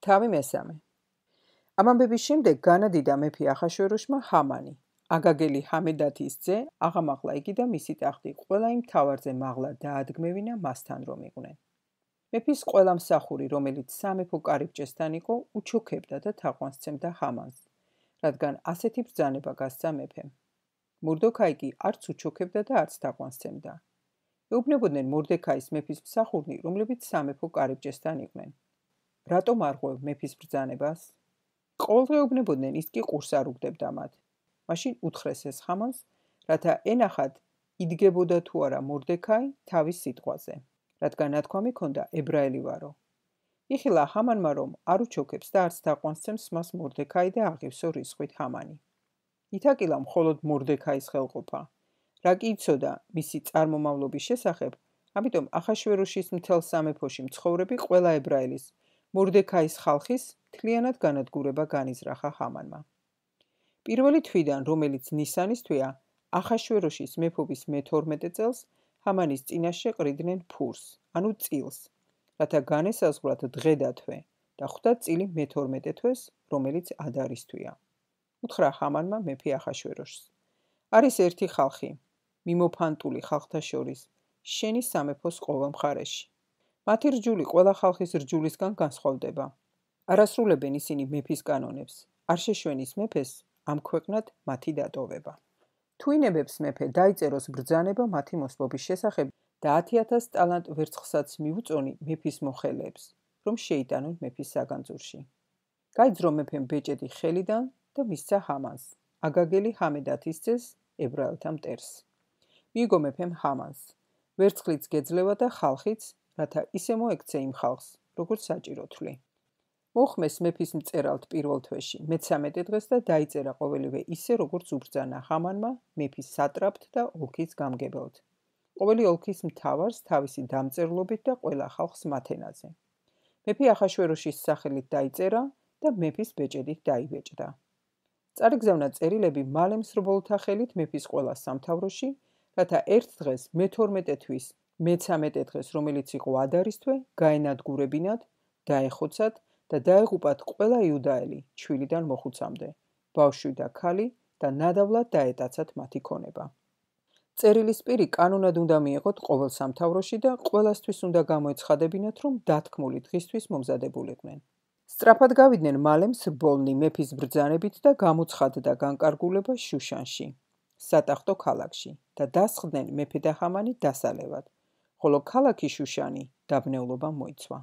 თავი მესამე. ამ ამბების შემდეგ განადიდა მეფე ახაშვეროშმა ჰამანი, აგაგელი ჰამედათის ძე, აღამაღლა იგი და მისი ტახტი ყველა იმ მთავარზე მაღლა დაადგმევინა მასთან რომ იყვნენ. მეფის ყველა მსახური, რომელიც სამეფო კარიბჭესთან იყო, უჩუქებდა და თაყვანსცემდა ჰამანს, რადგან ასეთი ბრძანება გასცა მეფემ. მორდოქაი კი არც უჩუქებდა და არც თაყვანსცემდა. ეუბნებოდნენ მორდექაის მეფის მსახურნი, რომლებიც სამეფო კარიბჭესთან იყვნენ. რატომ არ ღვევ მეფის ბრძანებას? ყოველდღე ეუბნებოდნენ, ის კი ყურს არ უგდებდა მათ. მაშინ უთხრეს ეს ჰამანს, რათა ენახად იდგებოდა თუ არა მორდექაი თავის სიტყვაზე, რადგან ნათქვამი ჰქონდა ებრაელი ვარო. იხილა ჰამანმა, რომ არ უჩუქებს და არც თაყვანსცემს მას მორდექაი და აღივსო რისხვით ჰამანი. ითაკილა მხოლოდ მორდექაის ხელყოფა. რა კი იცოდა მისი წარმომავლობის შესახებ, ამიტომ ახაშვეროშის მთელ სამეფოში მცხოვრები ყველა ებრაელის, მორდექაის ხალხის მთლიანად განადგურება განიზრახა ჰამანმა. პირველი თვიდან, რომელიც ნისანის თვეა, ახაშვეროშის მეფობის მე-12 წელს ჰამანის წინაშე ყრიდნენ ფურს, ანუ წილს, რათა განესაზღვრათ დღე და თვე და ხვდა წილი მე-12 თვეს, რომელიც ადარის თვეა. უთხრა ჰამანმა მეფე ახაშვეროშს: არის ერთი ხალხი, მიმოფანტული ხალხთა შორის, შენი სამეფოს ყოველ მხარეში. მათი რჯული ყველა ხალხის რჯულისგან განსხვავდება. არ ასრულებენ ისინი მეფის კანონებს, არ შეშვენის მეფეს ამ ქვეყნად მათი დატოვება. თუ ინებებს მეფე დაიწეროს ბრძანება მათი მოსვლობის შესახებ და 10,000 ტალანტ ვერცხლსაც მიუწონი მეფის მოხელეებს, რომ შეიტანონ მეფის საგანძურში. გაიძრო მეფემ ბეჭედი ხელიდან და მისცა ჰამანს, აგაგელი ჰამედათის ძეს, ებრაელთა მტერს. მიიგო მეფემ ჰამანს, ვერცხლიც გეძლევა და ხალხიც, რათა ისე მოექცე იმ ხალხს, როგორც საჭირო თვლი. მოხმეს მეფის მწერალთ პირველ თვეში, მე-13 დღეს და დაიწერა ყოველივე ისე, როგორც უბრძანა ჰამანმა მეფის სატრაპთ და ოლქის გამგებელთ. ყოველი ოლქის მთავარს თავისი დამწერლობით და ყველა ხალხს მათ ენაზე. მეფე ახაშვეროშის სახელით დაიწერა და მეფის ბეჭედით დაიბეჭდა. წარიგზავნა წერილები მალე მსრბოლთა ხელით მეფის ყველა სამთავროში, რათა ერთ დღეს მე-12 თვის, მე-13 დღეს, რომელიც იყო ადარის თვე, გაენადგურებინათ, დაეხოცათ და დაეღუპათ ყველა იუდაელი, ჩვილიდან მოხუცამდე, ბავშვი და ქალი და ნადავლად დაეტაცათ მათი ქონება. წერილის პირი კანონად უნდა მიეღოთ ყოველ სამთავროში და ყველასთვის უნდა გამოეცხადებინათ, რომ დათქმული დღისთვის მომზადებულიყვნენ. სწრაფად გავიდნენ მალე მსრბოლნი მეფის ბრძანებით და გამოცხადდა განკარგულება შუშანში, სატახტო ქალაქში და დასხდნენ მეფე და ჰამანი დასალევად, ხოლო ქალაქი შუშანი დაბნეულობამ მოიცვა.